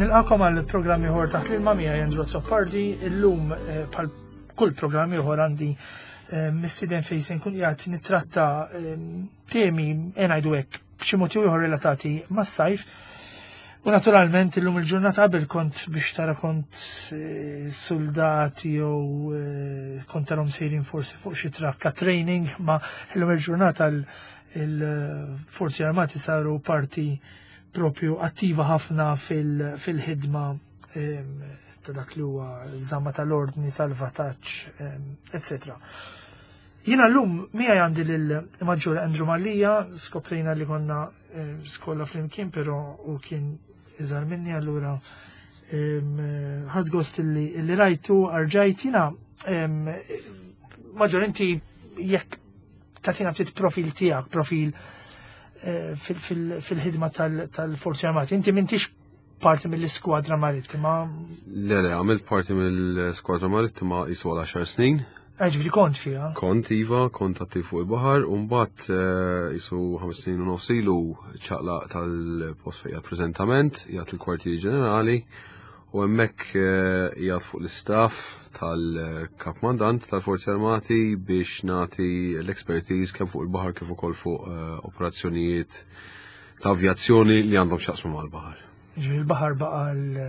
Nilqakom għal programm ieħor taħt l-ilma miegħi Andrew Azzopardi, illum eh, bħal kull programm ieħor għandi eh, mistieden fejn se nkun qiegħed nittratta eh, temi ngħidu hekk b'xi mod ieħor relatati mas-sajf. U naturalment illum il-ġurnata qabel kont biex tara kont soldati jew kont tarhom sejrin forsi fuq xi trakka training, ma illum il-ġurnata il-Forzi Armati saru parti propju attiva ħafna fil-ħidma ta' dak li huwa żamma tal-ordni, salvataġġ, etc. Jiena llum miegħi għandi lil Maġġur Andrew Mallia, skoprejna li konna skola flimkien, però u kien iżgħar minni allura ħadd gost li rajtu arġajt jiena Maġġur inti jekk tagħtina ftit profil tiegħek, profil eh, fil-ħidma tal-Forzi Armati. Inti m'intix parti mill-iskwadra marittima. Le, le, għamilt parti mill-skwadra marittima jisu għal 10 snin. Eh, ġifieri kont fiha. Kont iva, kont attiv fuq il-baħar, u mbagħad eh, jisu 5 snin u nofs ilu ċaqlaq tal-post fejn preżentament, jgħat il-kwartieri ġenerali, U hemmhekk eh, qiegħed fuq l-istaff tal-Kap Mandant tal-Forzi Armati biex nagħti l-expertise kemm fuq il-baħar kif ukoll fuq eh, operazzjonijiet ta' avjazzjoni li għandhom x'jaqsmu mal-baħar. Ġifieri il-baħar baqa' l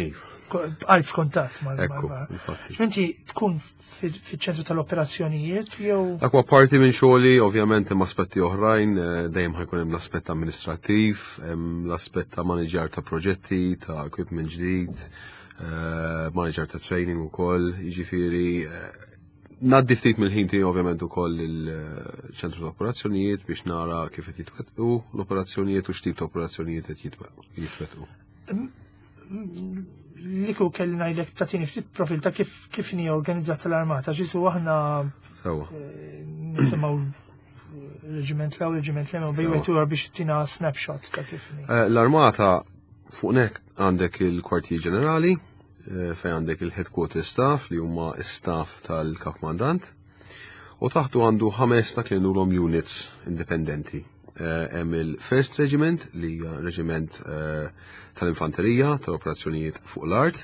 Iva. Bqajt f'kuntatt mal-baħar. Inti tkun fiċ-ċentru tal-operazzjonijiet jew. Dak huwa parti minn xogħli, ovvjament hemm aspetti oħrajn, eh, dejjem ħajkun hemm l-aspett amministrattiv, hemm l-aspett ta' maniġjar ta' proġetti, ta' equipment ġdid, eh, maniġjar ta' training ukoll, jiġifieri eh, Naddi ftit mill-ħin tiegħi ovvjament ukoll il-ċentru ta' operazzjonijiet biex nara kif qed jitwettqu l-operazzjonijiet u x'tip ta' operazzjonijiet qed jitwettqu. Li kieku kelli ngħidlek tagħtini ftit profil ta' kif kif inhi organizzata l-armata, ġisu aħna eh, nisimgħu reġiment l reġiment l bej wieħed biex tina snapshot ta' kif eh, L-armata fuq nek għandek il-kwartier ġenerali, eh, fejn għandek il-headquarter staff li huma staff tal-kap mandant, u taħtu għandu ħames ta' li units indipendenti. Eh, hemm il-First Regiment li hija reġiment eh, tal-infanterija tal-operazzjonijiet fuq l-art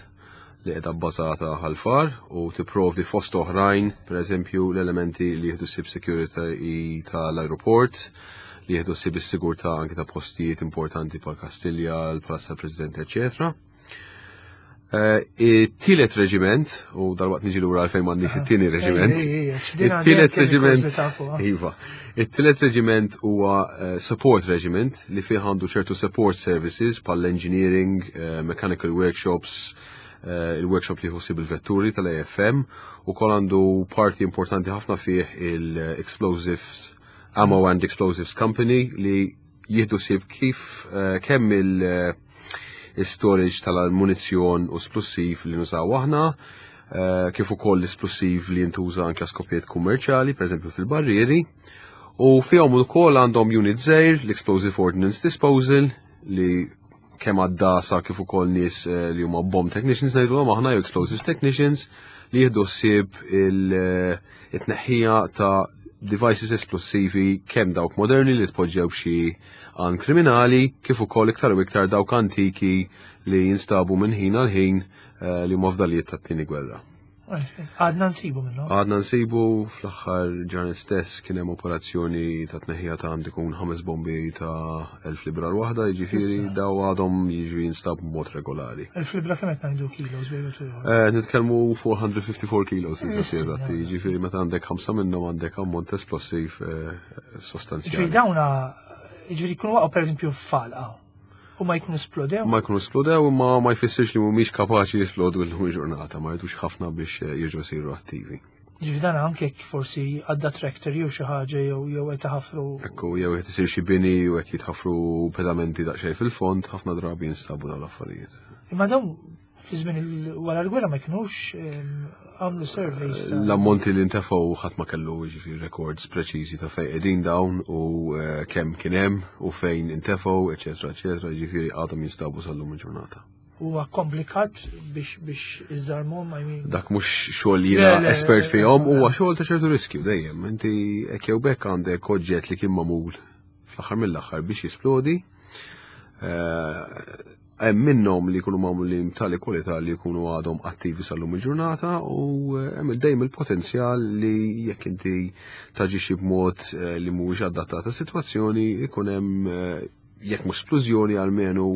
li qiegħda bbażata ħal-far u tipprovdi fost oħrajn, pereżempju l-elementi li jieħdu sib security tal-aeroport, li jieħdu sib is-sigurtà anke ta' postijiet importanti bħal Kastilja, l-Palazz tal-President, eċetera. Eh, it-tielet reġiment, u dal-waqt niġi lura għalfejn m'għandix it-tieni reġiment. It-tielet reġiment. Iva. It-tielet reġiment huwa eh, support regiment li fih għandu ċertu support services bħal engineering, eh, mechanical workshops, il-workshop li jħossib il-vetturi tal-AFM u kol għandu parti importanti ħafna fih il-Explosives Ammo and Explosives Company li jieħdu sib kif eh, kemm il-storage eh, tal-munizzjon u splussiv li nużaw aħna, eh, kif ukoll l-isplussiv li jintuża anke skopijiet kummerċjali, pereżempju fil-barrieri, u fihom ukoll għandhom unit żgħir, l-Explosive Ordnance Disposal, li kemm għaddasa kif ukoll nies eh, li huma bomb technicians ngħidulhom aħna jew explosives technicians li jieħdu ssieb il-tneħħija eh, ta' devices esplosivi kemm dawk moderni li tpoġġew xi għan kriminali kif ukoll iktar u iktar dawk antiki li jinstabu minn ħin għal ħin eh, li huma fdalijiet tat-tieni gwerra. Għadna nsibu minnu. Għadna nsibu fl-aħħar ġranet stess kien hemm operazzjoni ta' tneħħija ta' għandi kun ħames bombi ta' elf libra l-waħda, jiġifieri daw għadhom jiġu jinstab b'mod regolari. Elf libra kemm qed ngħidu kilos bejn eh, Nitkellmu 454 kilos eżatti, jiġifieri meta għandek ħamsa minnhom għandek ammont esplosiv eh, sostanzjali. Ġifieri dawna jiġifieri jkunu waqgħu pereżempju f'falqa. U ma jkunu splodew? Ma jkunu splodew, imma ma jfissirx li mhumiex kapaċi jisplodu llum il-ġurnata, ma jridux ħafna biex eh, jirġgħu jsiru attivi. Ġifi dan anke forsi għadda tractor jew xi ħaġa jew jew qed iħaffru. Ekku, jew qed isir xi bini u qed jitħaffru pedamenti daqsxejn fil-fond, ħafna drabi jinstabu dawn l-affarijiet. Imma dawn fi żmien wara l-gwerra ma kienux għamlu surveys. L-ammonti li ntefgħu ħadd ma kellu jiġifieri records preċiżi ta' fejn qegħdin dawn u eh, kemm kien hemm u fejn intefgħu, eċetera, eċetera, jiġifieri għadhom jinstabu sal-lum il-ġurnata. Huwa komplikat biex biex iżarmhom, I mean. Dak mhux xogħol jiena espert fihom, huwa xogħol ta' ċertu riskju dejjem. Inti hekk jew bekk għandek oġġett li kien magħmul fl-aħħar mill-aħħar biex jisplodi. Eh, Hemm minnhom li jkunu magħmulin b'tali kwalità li jkunu għadhom attivi sal-lum il-ġurnata u eh, hemm dejjem il-potenzjal li jekk inti taġixxi b'mod eh, li mhuwiex adattat għas-sitwazzjoni ikun hemm eh, jekk mhux splużjoni almenu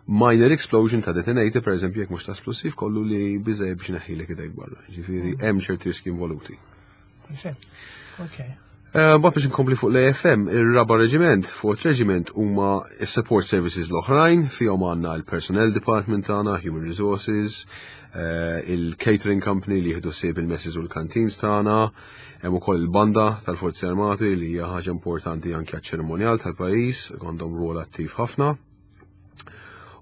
minor explosion ta' detonator, per eżempju, jekk mhux ta' splussiv kollu li biżej biex neħħilek idejk barra. Ġifieri mm. hemm ċerti riski involuti. Okay. Eh, Bat biex nkompli fuq l-AFM, ir-raba reġiment, Fourth Regiment, huma s-support services l-oħrajn, fihom għandna l-Personnel Department tagħna, Human Resources, eh, il-Catering Company li jieħdu sib il-messes u l-canteens tagħna, hemm ukoll il-banda tal-Forzi Armati li hija ħaġa importanti anke għaċ-ċerimonjal tal-pajjiż, għandhom rwol attiv ħafna.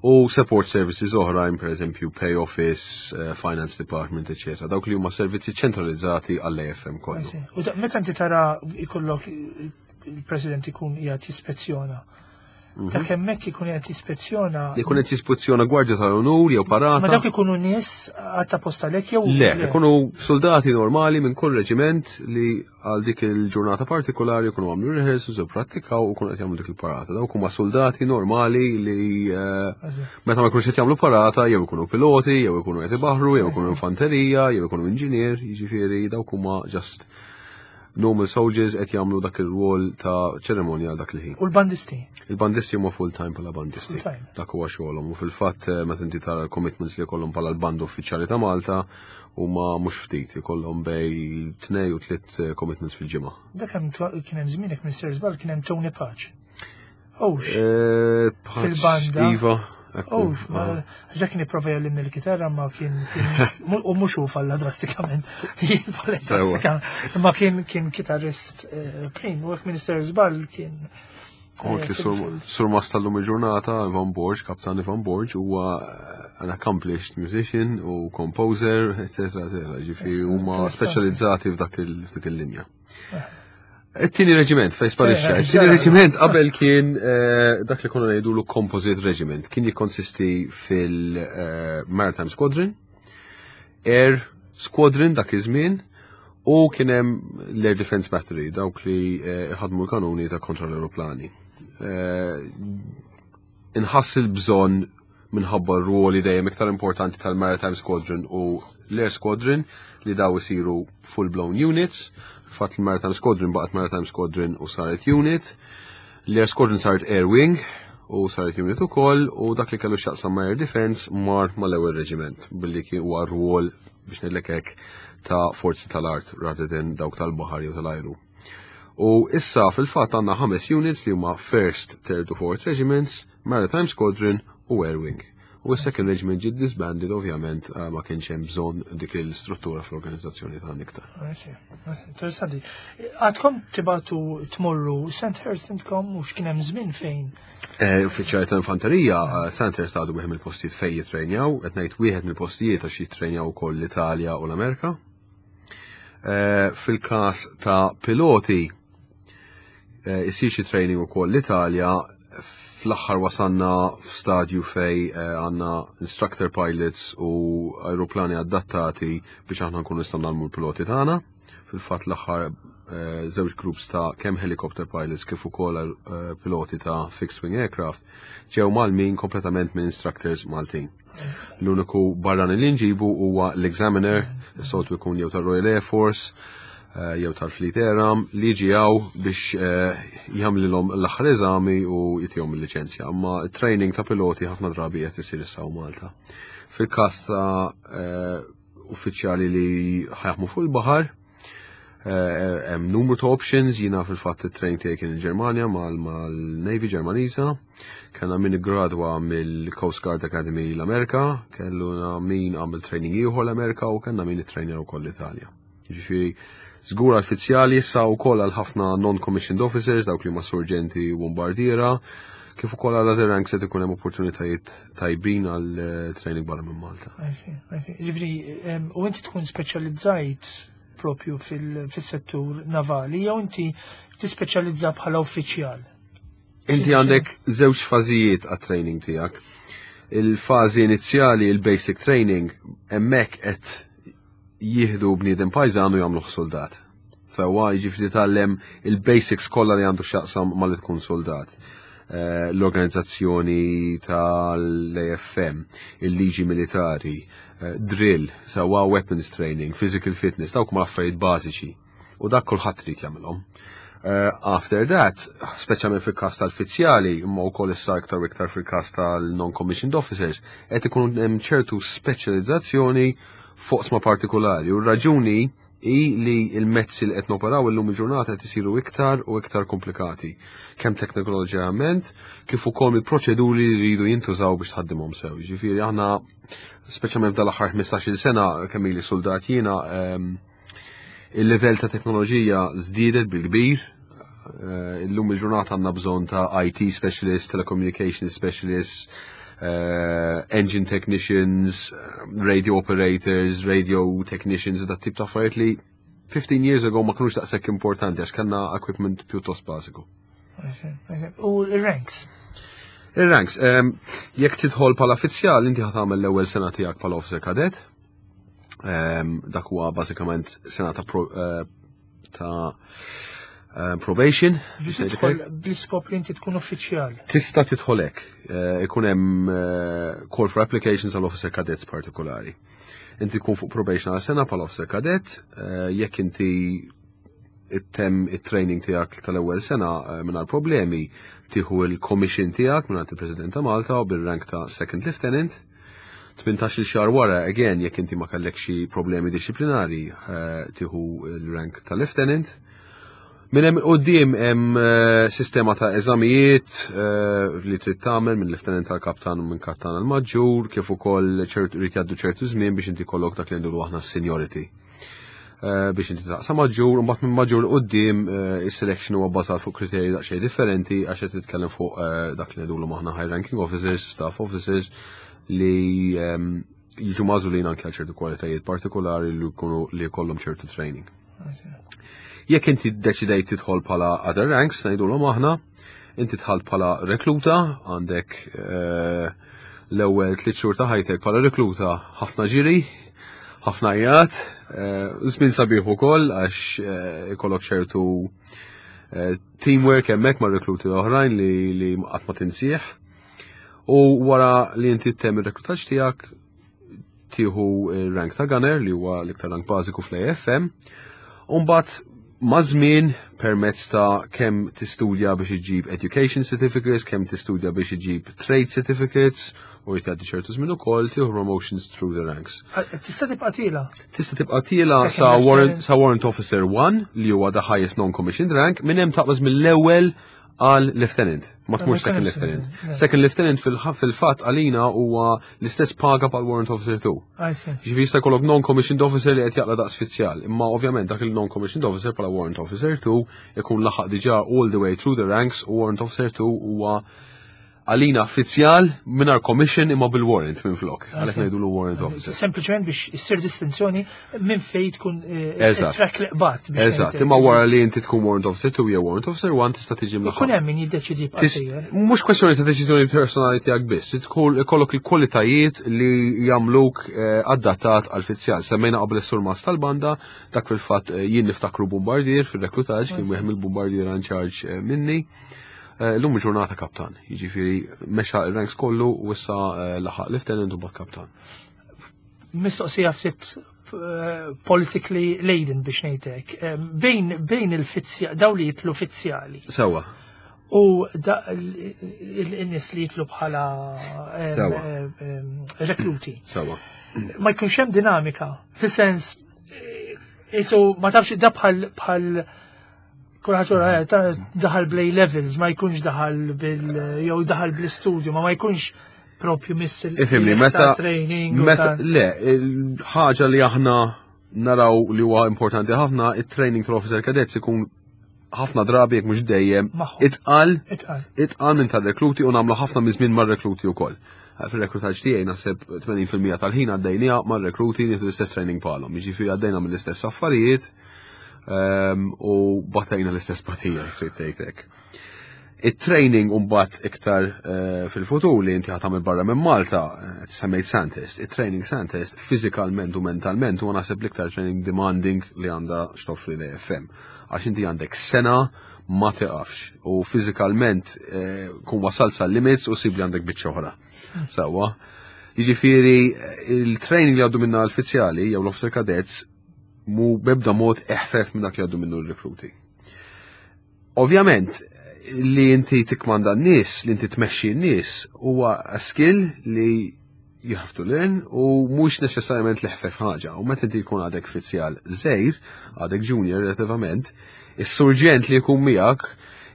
U support services oħrajn, per eżempju, pay office, eh, finance department, etc. Dawk li huma servizzi ċentralizzati għall-AFM kollu. U meta inti tara ikollok il-President ikun qiegħed jispezzjona. Mhm. Dak hemmhekk ikun qed jispezzjona. Ikun qed jispezzjona gwardja tal-onur jew parata. Ma dawk ikunu nies għatta posta lek jew. Le, ikunu soldati normali minn kull reġiment li għal dik il-ġurnata partikolari jkunu għamlu rehearsals u prattikaw u kunu qed jagħmlu dik il-parata. Dawk huma soldati normali li eh, meta ma jkunux qed jagħmlu parata jew ikunu piloti, jew ikunu qed ibaħru, jew ikunu infanterija, jew ikunu inġinier, jiġifieri dawk huma just normal soldiers qed jagħmlu dak ir-rwol ta' ċerimonja dak il-ħin. U l-bandisti? Il-bandisti huma full time bħala bandisti. Dak huwa xogħolhom u fil-fatt eh, meta inti tara l-commitments li jkollhom bħala l-band uffiċjali ta' Malta huma mhux ftit, ikollhom bej tnej u tliet eh, commitments fil-ġimgħa. Dak hemm kien hemm żmienek minn Sir Żball kien hemm Tony Paċ. Owx. Eh, fil-banda. Iva. Oh, ġa kien jipprova jgħallimni l-kitarra ma kien u mhux hu falla drastikament. Falla drastikament. Ma kien kien kitarrist eh, prim u hekk Minister Żball kien Anki sur mas tal-lum il-ġurnata, Ivan Borg, kaptan Ivan Borg, huwa eh, an accomplished musician u composer, etc. etc. Ġifi huma speċjalizzati f'dak il-linja. Eh. It-tieni reġiment, fej sparixxa. It-tieni reġiment qabel kien eh, dak li konna ngħidulu Composite Regiment, kien jikkonsisti fil-Maritime Squadron, Air Squadron dak iż-żmien u kien hemm l-Air Defense Battery, dawk li eh, ħadmu l-kanuni ta' kontra l-aeroplani. Eh, inħass il-bżonn minħabba r-ruoli dejjem iktar importanti tal-Maritime Squadron u l-Air Squadron li daw isiru full-blown units. Fatt il-Maritime Squadron baqgħet Maritime Squadron u saret unit. L-Air Squadron saret Air Wing u saret unit ukoll u dak li kellu x'jaqsam ma' Air Defense mar mal-ewwel reġiment billi kien huwa rwol biex ngħidlek hekk ta' forzi tal-art rather than dawk tal-baħar jew tal-ajru. U issa fil-fatt għandna ħames units li huma First, Third u Fourth Regiments, Maritime Squadron u Air Wing. U s-Second Regiment ġiet disbanded ovvjament eh, ma kienx hemm bżonn dik il-struttura fl-organizzazzjoni tagħna iktar. Interessanti. Għadkom tibatu tmorru Sandhurst intkom u x'kien hemm żmien fejn? Eh, uffiċjali ta' infanterija, eh, Sandhurst għadu wieħed mill-postijiet fejn jitrejnjaw, qed ngħid wieħed mill-postijiet għax jitrejnjaw ukoll l-Italja u l-Amerika. Fil-każ ta' piloti, Eh, isir xi training ukoll l-Italja fl-aħħar wasanna f'stadju fej eh, għandna instructor pilots u aeroplani adattati biex aħna nkunu nistgħu nagħmlu l-piloti tagħna. Fil-fatt l-aħħar eh, żewġ groups ta' kemm helicopter pilots kif ukoll piloti ta' fixed wing aircraft ġew malmin kompletament minn instructors Maltin. L-uniku barrani li nġibu huwa l-examiner, is-soltu jkun jew tar-Royal Air Force, eh, jew tal-Fleet Air Arm li jiġi hawn biex eh, jagħmlilhom l-aħħar eżami u jitihom il-liċenzja. Imma training ta' piloti ħafna drabi qed isir issa Malta. Fil-każ ta' eh, uffiċjali li ħajaħmu fuq il-baħar, eh, hemm numru ta' options, jiena fil-fatt it-train tiegħi kien il-Ġermanja mal-Navy Ġermaniża, kellna min iggradwa mill-Coast Guard Academy l-Amerika, kellna min għamel training ieħor l-Amerika u kellna min ittrainer ukoll l-Italja. Ġifieri, żgur għall-fizzjali issa wkoll għal ħafna non-commissioned officers, dawk li huma surġenti u bombardiera, kif ukoll għal other ranks qed ikun hemm opportunitajiet tajbin għal eh, training barra minn Malta. Ġifieri, u inti tkun speċjalizzajt propju fil-settur navali jew inti tispeċjalizza bħala uffiċjal? Inti għandek żewġ fażijiet għat-training tiegħek. Il-fażi inizjali, il-basic training, hemmhekk qed jieħdu bniedem pajżan u jagħmluh soldat. Sewwa jiġifieri tgħallem il-basics kollha li għandu x'jaqsam ma li tkun soldat. l-organizzazzjoni tal-AFM, il-liġi militari, drill, sewwa weapons training, physical fitness, dawk huma affarijiet bażiċi. U dak kulħadd trid jagħmilhom. After that, speċjalment fil-każ tal-fizzjali, imma wkoll issa iktar u iktar fil-każ tal-non-commissioned officers, qed ikun hemm ċertu speċjalizzazzjoni f'oqsma partikolari. U r-raġuni hi li l-mezzi li qed noperaw illum il-ġurnata qed isiru iktar u iktar komplikati, kemm teknoloġikament kif ukoll il-proċeduri li jridu jintużaw biex tħaddimhom sew. Jiġifieri aħna speċjalment f'dal-aħħar 15-il sena kemm ili soldat jiena il-livell ta' teknoloġija żdiedet bil-kbir. Illum il-ġurnata għandna bżonn ta' IT specialists, telecommunication specialists, engine technicians, radio operators, radio technicians, u dat tip ta' affarijiet li 15 years ago ma kinux daqshekk importanti għax kellna equipment pjuttost bażiku. U il-ranks? Il-ranks, jekk tidħol bħala fizzjal, inti ħa tagħmel l-ewwel sena tiegħek bħala officer cadet. Dak huwa bażikament sena ta' probation. Biex tidħol bl-iskop li inti tkun uffiċjal. Tista' tidħol hekk. Ikun hemm call for applications għal officer cadets partikolari. Inti tkun fuq probation għal sena bħala officer cadet, jekk inti ittemm it-training tiegħek tal-ewwel sena mingħajr problemi, tieħu il-commission tiegħek mingħand il-President ta' Malta u bil-rank ta' second lieutenant. 18 xahar wara, again, jekk inti ma kellek xi problemi disciplinari, tieħu il-rank ta' lieutenant. Minn hemm quddiem hemm sistema ta' eżamijiet li trid tagħmel minn lieutenant tal-kaptan u minn kaptan għal maġġur, kif ukoll ċertu irid jgħaddu ċertu żmien biex inti jkollok dak li ngħidu aħna seniority. Biex inti taqsa maġġur, u mbagħad minn maġġur quddiem is-selection huwa bbażat fuq kriterji daqsxejn differenti għax qed titkellem fuq dak li ngħidulu aħna high ranking officers, staff officers li jiġu magħżulin anke għal ċertu kwalitajiet partikolari li jkunu li jkollhom ċertu training. Jekk inti deċidejt tidħol bħala other ranks, ngħidulhom aħna, inti dħalt bħala rekluta, għandek l-ewwel 3 xhur ta' ħajtek bħala rekluta ħafna ġiri, ħafna għajat, żmien sabiħ ukoll għax ikollok ċertu teamwork hemmhekk ma' rekluti oħrajn li qatt ma tinsieħ. U wara li inti ttemm ir-reklutaġġ tiegħek tieħu rank ta' gunner li huwa l-iktar rank bażiku fl-AFM. U mbagħad ma' żmien permezz ta' kemm tistudja biex iġib education certificates, kemm tistudja biex iġib trade certificates, u jtgħaddi ċertu żmien ukoll tieħu promotions through the ranks. Tista' tibqa' tiela? Tista' tibqa' tiela sa warrant officer 1 li huwa the highest non-commissioned rank, minn hemm taqbeż mill-ewwel għal lieutenant, ma tmur second lieutenant. Second lieutenant fil-fatt għalina huwa l-istess paga pal warrant officer 2. Ġifieri jista' jkollok non-commissioned officer li qed jaqla daqs fizzjal, imma ovvjament dak il-non-commissioned officer bħala warrant officer 2 ikun laħaq diġà all the way through the ranks u warrant officer 2 huwa għalina fizzjal mingħajr commission imma bil-warrant minn flok. Għalhekk ngħidu warrant officer. Sempliċement biex issir distinzjoni minn fejn tkun track li qbad. Eżatt, imma wara li inti tkun warrant officer 2 jew warrant officer 1 tista' tiġi mlaħħaq. Ikun hemm min jiddeċidi. Mhux kwestjoni ta' deċiżjoni personali tiegħek biss, tkun ikollok il-kwalitajiet li jagħmluk adattat għal fizzjal. Semmejna qabel is-surmas tal-banda, dak fil-fatt jien niftakru bombardier fil-reklutaġġ, kien wieħed mill-bombardier in charge minni. Illum ġurnata kaptan, jiġifieri mexa il-ranks kollu u issa laħaq lieutenant u mbagħad kaptan. Mistoqsija ftit politically laden biex ngħidlek. Bejn il-fizzja, daw li jitlu fizzjali. U il-nies li jitlu bħala rekluti. Ma jkunx hemm dinamika, fis-sens isu ma tafx da bħal kulħadd daħal bl-A levels, ma jkunx daħal bil jew daħal bl-istudju, ma jkunx propju miss il Ifhimni, meta training. Meta le, ħaġa li aħna naraw li huwa importanti ħafna, it-training tal-officer cadets ikun ħafna drabi jekk mhux dejjem itqal itqal minn tar-rekluti u nagħmlu ħafna minn żmien mar-rekluti wkoll. Fil-reklutaġġ tiegħi naħseb 80% tal-ħin għaddejnija mar-rekluti nieħdu l-istess training bħalhom. Jiġifieri għaddejna mill-istess affarijiet u batejna l-istess batija, trid tgħid hekk. It-training mbagħad iktar fil-futur li inti ħa tagħmel barra minn Malta, semmejt Sandhurst, it-training Sandhurst fiżikalment u mentalment huwa naħseb l-iktar training demanding li għandha x'toffri l-AFM. Għax inti għandek sena ma tiqafx u fiżikalment kun wasalt sal-limits u sib li għandek biċċa oħra. Sewwa. Jiġifieri il-training li għaddu minna l-uffiċjali jew l-officer cadets mu bebda mod eħfef minn dak li għaddu minnu l-rekruti. Ovvjament, li inti tikkmanda n-nies, li inti tmexxi n-nies, huwa skill li you have to learn u mhux neċessarjament li ħfef ħaġa. U meta inti jkun għadek fizzjal żgħir, għadek junior relativament, is-surġent li jkun miegħek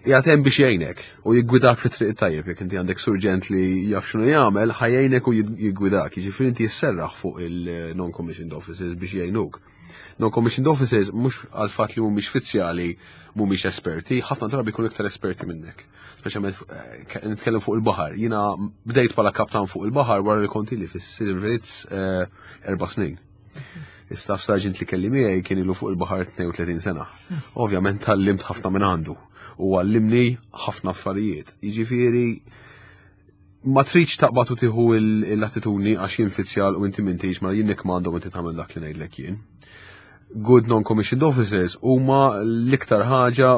qiegħed hemm biex jgħinek u jiggwidak fit-triq tajjeb jekk inti għandek surġent li jaf x'inhu jagħmel, ħa jgħinek u jiggwidak. Jiġifieri inti jisserraħ fuq il-non-commissioned officers biex jgħinuk. Non-commissioned officers mhux għal fatt li mhumiex fizzjali mhumiex esperti, ħafna drabi jkunu iktar esperti minnek. Speċjalment nitkellem fuq il-baħar. Jiena bdejt bħala kaptan fuq il-baħar wara li kont ili fis-servizz 4 snin. Is-staff sergeant li kelli miegħi kien ilu fuq il-baħar 32 sena. Ovvjament tgħallimt ħafna minn għandu u għallimni ħafna affarijiet. Jiġifieri ma tridx taqbad u tieħu l-attitudni għax jien fizzjal u inti m'intix ma jien nikkmanda u inti tagħmel dak li ngħidlek jien. Good non-commissioned officers huma l-iktar ħaġa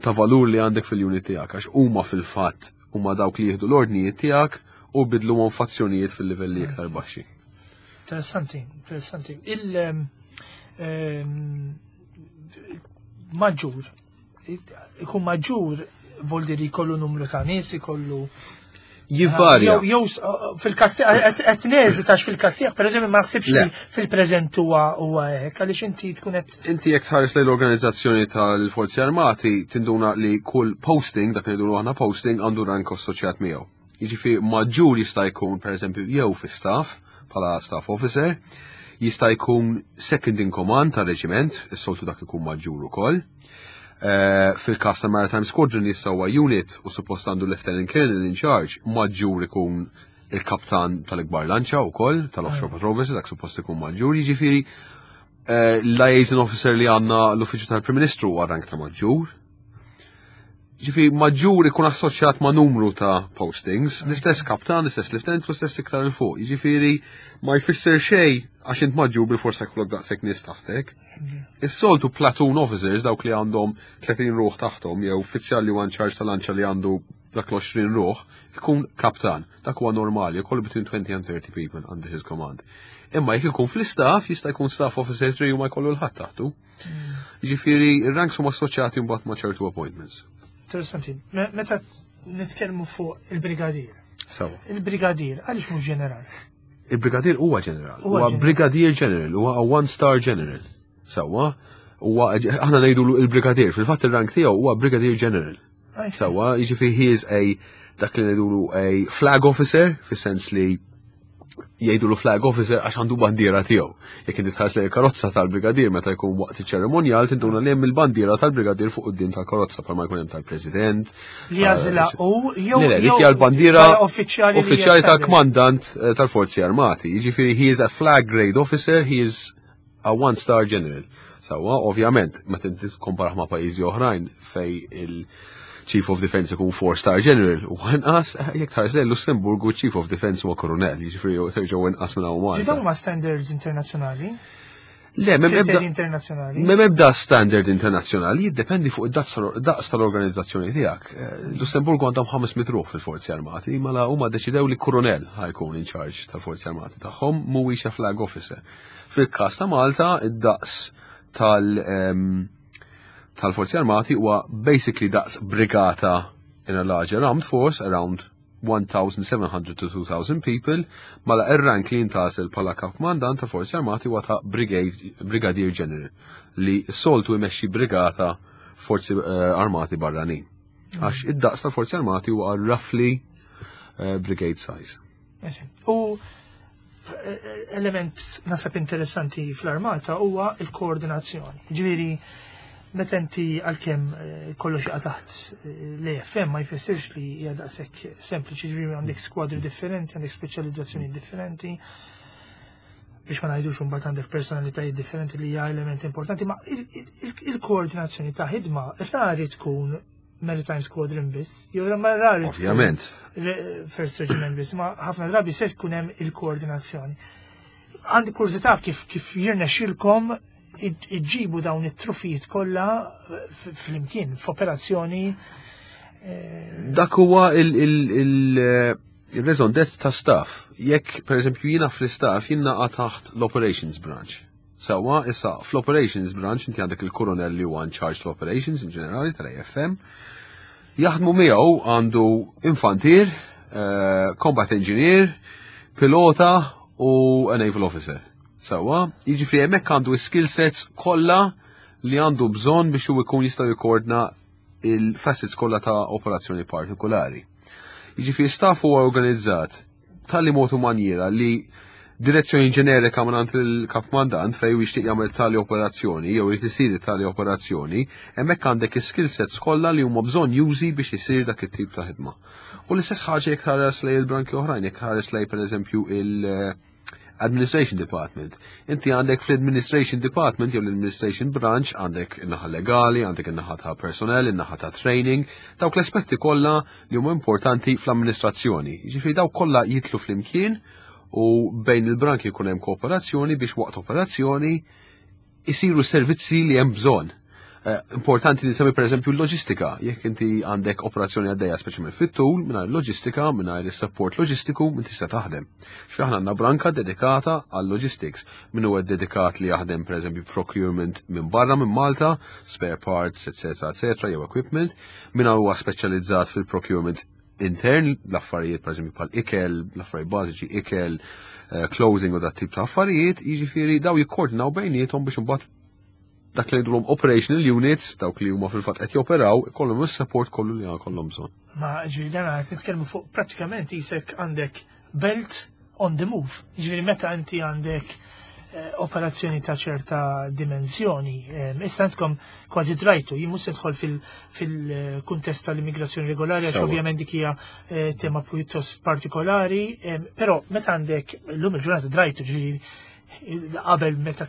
ta' valur li għandek fil-unit tiegħek għax huma fil-fatt huma dawk li jieħdu l-ordnijiet tiegħek u bidluhom f'azzjonijiet fil-livelli iktar baxxi. Interessanti, interessanti. Il-maġġur, ikun maġġur voldi li jkollu numru ta' nies, ikollu Jivarja. Jew fil-Kastija, qed neżi tax fil-Kastija, per eżempju, ma naħsibx li fil-preżent huwa hekk, għaliex inti tkun qed Inti jekk tħares lejn l-organizzazzjoni tal-Forzi Armati tinduna li kull posting, dak li ngħidu aħna posting, għandu rank assoċjat miegħu. Jiġifieri maġġur jista' jkun pereżempju jew fi staff bħala staff officer, jista' jkun second in command tar-reġiment, is-soltu dak ikun maġġur ukoll. Fil-kas ta' Maritime Squadron jista' huwa unit u suppost għandu Lieutenant Colonel in charge, maġġur ikun il-kaptan tal-ikbar lanċa wkoll tal-Offshore Patrol Vessel, dak suppost ikun maġġur, jiġifieri liaison officer li għandna l-Uffiċċju tal-Prim Ministru huwa rank ta' maġġur. Ġifieri maġġur ikun assoċjat ma' numru ta' postings, l-istess kaptan, l-istess lieutenant, l-istess iktar 'il fuq. Jiġifieri ma jfisser xejn għax int maġġur bil-forsa jkollok daqshekk nies taħtek. Is-soltu platoon officers, dawk li għandhom 30 ruħ taħtom, jew uffiċjal li huwa in charge tal-lanċa li għandu dak l-20 ruħ, ikun kaptan. Dak huwa normali, jkollu between 20 and 30 people under his command. Imma jekk ikun fl-istaff, jista' jkun staff officer 3 u ma jkollu 'l ħadd taħtu. Jiġifieri ir-ranks huma assoċjati mbagħad ma' ċertu appointments. Interessanti. Meta nitkellmu fuq il-brigadier. Sawa. Il-brigadier, għaliex mhux ġeneral? Il-brigadier huwa ġeneral. Huwa Huwa ġeneral. brigadier general, huwa a one star general. Sawa, huwa aħna ngħidu il-brigadier, fil-fatt il-rank tiegħu huwa brigadier general. Sawa, jiġifieri he is a dak li ngħidulu a flag officer, fis-sens li jgħidulu flag officer għax għandu bandiera tiegħu. Jekk inti tħares lejn il-karozza tal-brigadier meta jkun waqt iċ-ċerimonjal tinduna li hemm il-bandiera tal-brigadier fuq quddiem tal-karozza bħalma jkun hemm tal-president. Li jażilha u jew Le, le, dik jew hija l-bandiera bħala uffiċjali li uffiċjali jestablish. tal-kmandant tal-Forzi Armati. Jiġifieri he is a flag grade officer, he is a one star general. Sawa, ovvjament, meta inti tikkomparah ma' pajjiżi oħrajn fej il-Chief of Defense ikun 4 star general u inqas, jekk tħares lejn Lussemburgu Chief of Defense huwa koronel, jiġifieri terġgħu inqas minn hawn Malta. Ġi dawn huma standards internazzjonali? Le, m'hemm ebda Kriterji internazzjonali? M'hemm ebda standard internazzjonali, jiddependi fuq id-daqs tal-organizzazzjoni tiegħek. Lussemburgu għandhom 500 ruħ fil-Forzi Armati, mela huma deċidew li koronel ħa jkun in charge tal-Forzi Armati tagħhom, mhuwiex a flag officer. Fil-każ ta' Malta, id-daqs tal-Forzi Armati huwa basically daqs brigata in a larger armed force, around 1,700 to 2,000 people, mela ir-rank li jintgħażel bħala kap kmandant ta' Forzi Armati huwa ta' Brigadier General li soltu jmexxi brigata Forzi Armati barranin. Għax id-daqs tal-Forzi Armati huwa roughly brigade size. U element nasab interessanti fl-armata huwa il-koordinazzjoni. Ġifieri, meta inti għalkemm kollox jaqa' taħt l-AFM ma jfissirx li hija daqshekk sempliċi, ġifieri għandek skwadri differenti, għandek speċjalizzazzjoni differenti, biex ma ngħidux imbagħad għandek personalitajiet differenti li hija element importanti, ma il-koordinazzjoni ta' ħidma rari tkun Maritime Squadron biss, jew ma rari. Ovvjament. First Regiment biss, ma ħafna drabi se tkun hemm il-koordinazzjoni. Għandi kurżità kif kif jirnexxilkom iġġibu dawn it-trufijiet kollha flimkien f'operazzjoni. Eh, Dak huwa il-raison d'être ta' staff. Jekk, per eżempju, jiena fl-istaff jien naqa' taħt l-operations branch. Sewwa, issa fl-operations branch inti għandek il-koronel li huwa in charge tal-operations in ġenerali tal-AFM. Jaħdmu miegħu għandu infantier, eh, combat engineer, pilota u a naval officer. Sewwa, jiġifieri hemmhekk għandu skill sets kollha li għandu bżonn biex hu jkun jista' jikkoordina il-facets kollha ta' operazzjoni partikolari. Jiġifieri staff huwa organizzat tali mod u manjiera li direzzjoni ġenerika minn il-kap mandant fej jixtieq jagħmel tali operazzjoni jew irid isir tali operazzjoni, hemmhekk għandek is-skill sets kollha li huma bżonn jużi biex isir dak it-tip ta' ħidma. U l-istess ħaġa jekk tħares lej il-branki oħrajn, jekk tħares lej pereżempju il- Administration Department. Inti għandek fl-Administration Department jew l-Administration Branch għandek in-naħa legali, għandek in-naħa ta' personnel, in-naħa ta' training, dawk l-aspetti kollha li huma importanti fl-amministrazzjoni. Jiġifieri dawk kollha jitlu flimkien u bejn il-branki jkun hemm kooperazzjoni biex waqt operazzjoni isiru servizzi li hemm bżonn. Eh, importanti li nsemmi pereżempju l-loġistika, jekk inti għandek operazzjoni għaddejja speċjalment fit-tul, mingħajr loġistika, mingħajr is-support loġistiku, minn tista' taħdem. Xi aħna għandna branka dedikata għal logistics, min huwa dedikat li jaħdem pereżempju procurement minn barra minn Malta, spare parts, etc., etc., jew equipment, min huwa speċjalizzat fil-procurement intern, l-affarijiet pereżempju bħal ikel, l-affarijiet bażiċi ikel, eh, clothing u dat tip ta' affarijiet, jiġifieri daw jikkoordinaw bejniethom biex imbagħad dak li jgħidulhom operational units, dawk li huma fil-fatt qed joperaw, ikollhom is-support kollu li għandhom bżonn. Ma ġifieri dan qed nitkellmu fuq prattikament isek għandek belt on the move. Ġifieri meta inti għandek eh, operazzjoni ta' ċerta dimensjoni. Eh, issa għandkom kważi drajtu, jien mhux nidħol fil-kuntest tal-immigrazzjoni regolari għax ovvjament dik hija eh, tema pjuttost partikolari, però meta għandek llum il-ġurnata drajtu ġifieri qabel meta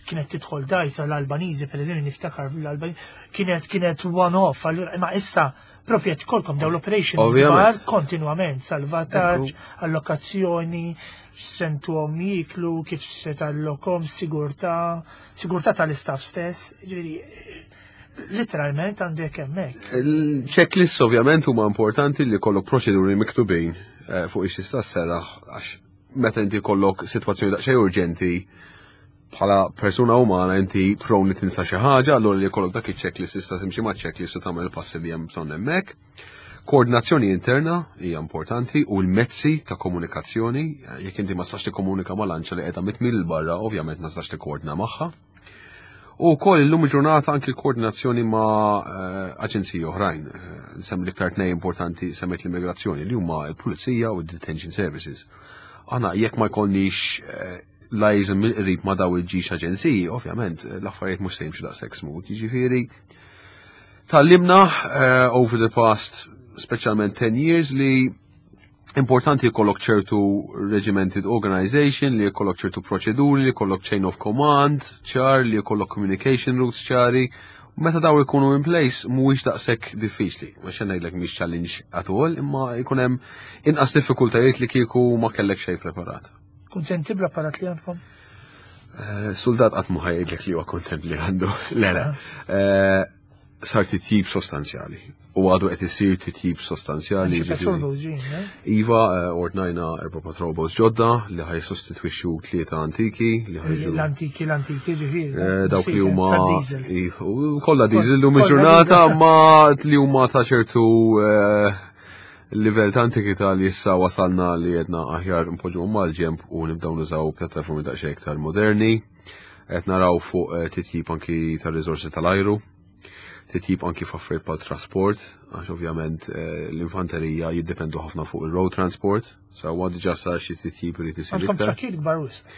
kienet tidħol dajsa l-Albaniżi, per eżempju, niftakar l-Albaniżi, kienet kienet one-off, allura ma issa propju qed kolkom daw l-operations kbar kontinwament, salvataġġ, allokazzjoni, sentuhom jiklu, kif se tallokom, sigurtà, sigurtà tal-istaff stess, ġifieri literalment għandek hemmhekk. Il-checklist ovvjament huma importanti li kollok proċeduri miktubin eh, fuq ix-xista sera għax meta inti kollok sitwazzjoni daqsxejn urġenti bħala persuna umana inti prone li tinsa xi ħaġa, allura li jkollok dak iċ-checklist tista' timxi ma' checklist u tagħmel passi li hemm bżonn hemmhekk. Koordinazzjoni interna hija importanti u l-mezzi ta' komunikazzjoni, jekk inti ma tistax tikkomunika ma' lanċa li qiegħda mitmil barra, ovvjament ma tistax tikkoordina magħha. U wkoll illum il-ġurnata anki l-koordinazzjoni ma' eh, aġenziji oħrajn. Eh, Sem l-iktar tnej importanti semmet l-immigrazzjoni li huma l-Pulizija u d-Detention Services. Aħna jekk ma jkollniex eh, liaison mill-qrib ma' daw il-ġiex aġenziji, ovvjament l-affarijiet mhux se jimxu daqshekk smooth. Jiġifieri tallimna over the past speċjalment 10 years li importanti jkollok ċertu regimented organization, li jkollok ċertu proċeduri, li jkollok chain of command ċar, li jkollok communication routes ċari. Meta daw ikunu in place mhuwiex daqshekk diffiċli. Mhux ngħidlek mhix challenge at all, imma jkun hemm inqas diffikultajiet li kieku ma kellek xejn preparat. Kuntenti bl-apparat li għandkom? Eh, soldat qatt ma ħajdlek li huwa kontent li għandu. Le, le. Eh, sar titjib sostanzjali. U għadu qed isir titjib sostanzjali. Eh? Iva, eh, ordnajna erba' patrol boats ġodda li ħaj sostitwixxu tlieta antiki li ħajġu. L-antiki, l-antiki ġifieri. Eh, dawk li huma kollha diesel lum il-ġurnata ma li huma ta' ċertu livell ta' antikità li issa wasalna li jedna aħjar npoġġu mal-ġemp u nibdew nużaw pjattaformi daqsxejn iktar moderni. Qed naraw fuq eh, titjib anki tar-riżorsi tal-ajru, titjib anki f'affarijiet bħal trasport, għax ovvjament eh, l-infanterija jiddependu ħafna fuq il-road transport, sa huwa diġà sar xi titjib irid isir. Għandkom trakkijiet kbar wisq.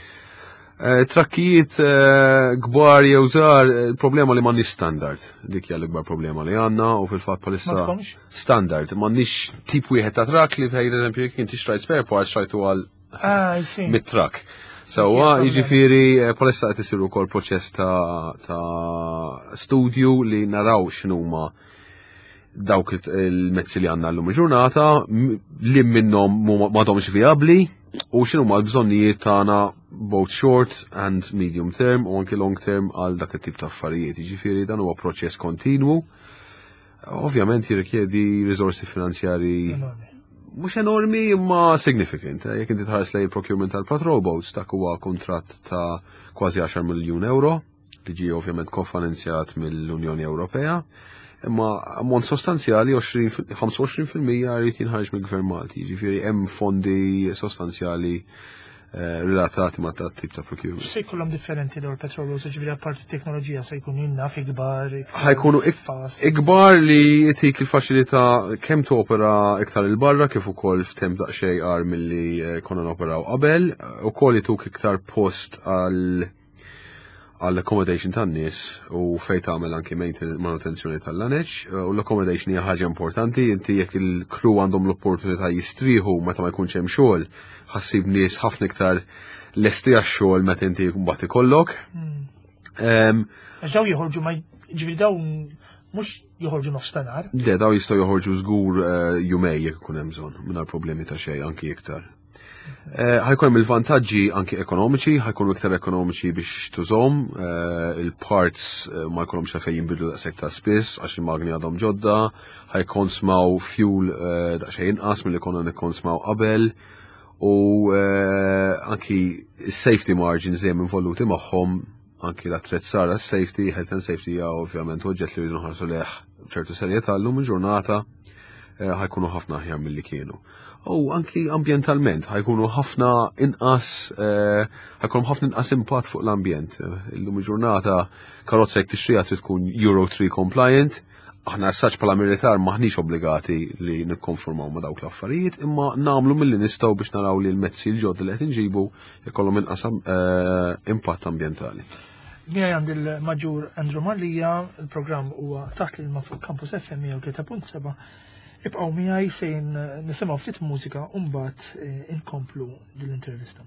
Eh, trakkijiet kbar jew żgħar, il-problema li m'għandniex standard. Dik hija l-ikbar problema li għandna u fil-fatt bħalissa standard, m'għandniex tip wieħed ta' trakk li per eżempju jekk inti xtrajt spare parts xtrajtu għal Ah, mit-trak. Sewwa, jiġifieri eh, palissa qed isir ukoll proċess ta', ta studju li naraw x'inhuma dawk il-mezzi li għandna llum il-ġurnata, li minnhom m'għadhomx vijabbli u x'inhuma l-bżonnijiet tagħna both short and medium term u anki long term għal dak it-tip ta' affarijiet. Jiġifieri dan huwa proċess kontinwu. Ovvjament jirrikjedi riżorsi finanzjari mhux enormi imma significant. Jekk inti tħares lejn il-procurement tal-patrol boats, dak huwa kuntratt ta' kważi 10 miljun euro li ġie ovvjament kofinanzjat mill-Unjoni Ewropea, imma ammont sostanzjali 25% jrid jinħareġ mill-Gvern Malti, jiġifieri hemm fondi sostanzjali relatati ma' dat tip ta' procurement. Se jkollhom differenti dawn il-petrol boats, ġifieri apparti t-teknoloġija se jkunu jinnaf ikbar, iktar Ħajkunu fast. ikbar li jtik il-faċilità kemm topera iktar il-barra kif ukoll f'temp daqsxejn qar milli konna noperaw qabel, ukoll jituk iktar post għall accommodation tan-nies u fejn tagħmel anki manutenzjoni tal-laneċ, u l-accommodation hija ħaġa importanti, inti jekk il-crew għandhom l-opportunità jistrieħu meta ma jkunx hemm xogħol, ħassib nies ħafna iktar lesti għax-xogħol meta inti mbagħad ikollok. Għax daw joħorġu ma ġifieri daw mhux joħorġu nofs ta' nhar. Le, daw jistgħu joħorġu żgur jumej jekk ikun hemm bżonn, mingħajr problemi ta' xejn, anki iktar. Ħajkun hemm il-vantaġġi anki ekonomiċi, ħajkunu iktar ekonomiċi biex tużhom, il-parts ma jkollhomx għalfejn jinbidlu daqshekk ta' spiss għax il-magni għadhom ġodda, ħajkonsmaw fuel daqsxejn inqas milli konna nikkonsmaw qabel, u anki safety margins dejjem involuti magħhom, anki l-attrezzar għas-safety, health and safety hija ovvjament oġġett li rridu nħarsu leh b'ċertu serjetà llum il-ġurnata ħajkunu ħafna aħjar milli kienu. U anki ambjentalment ħajkunu ħafna inqas ħajkunu ħafna inqas impatt fuq l-ambjent. Illum il-ġurnata karozza jekk tixtriha trid tkun Euro 3 compliant. Aħna s-saċ bħala militar maħniex obbligati li nikkonformaw ma' dawk l-affarijiet, imma nagħmlu milli nistgħu biex naraw li l-mezzi l-ġodda li qed inġibu ikollhom inqas impatt ambjentali. Miegħi għandi l-Maġġur Andrew Mallia, il-programm huwa taħt l-ilma fuq Campus FM 103.7. Ibqgħu miegħi sejn nisimgħu ftit mużika u mbagħad inkomplu din l-intervista.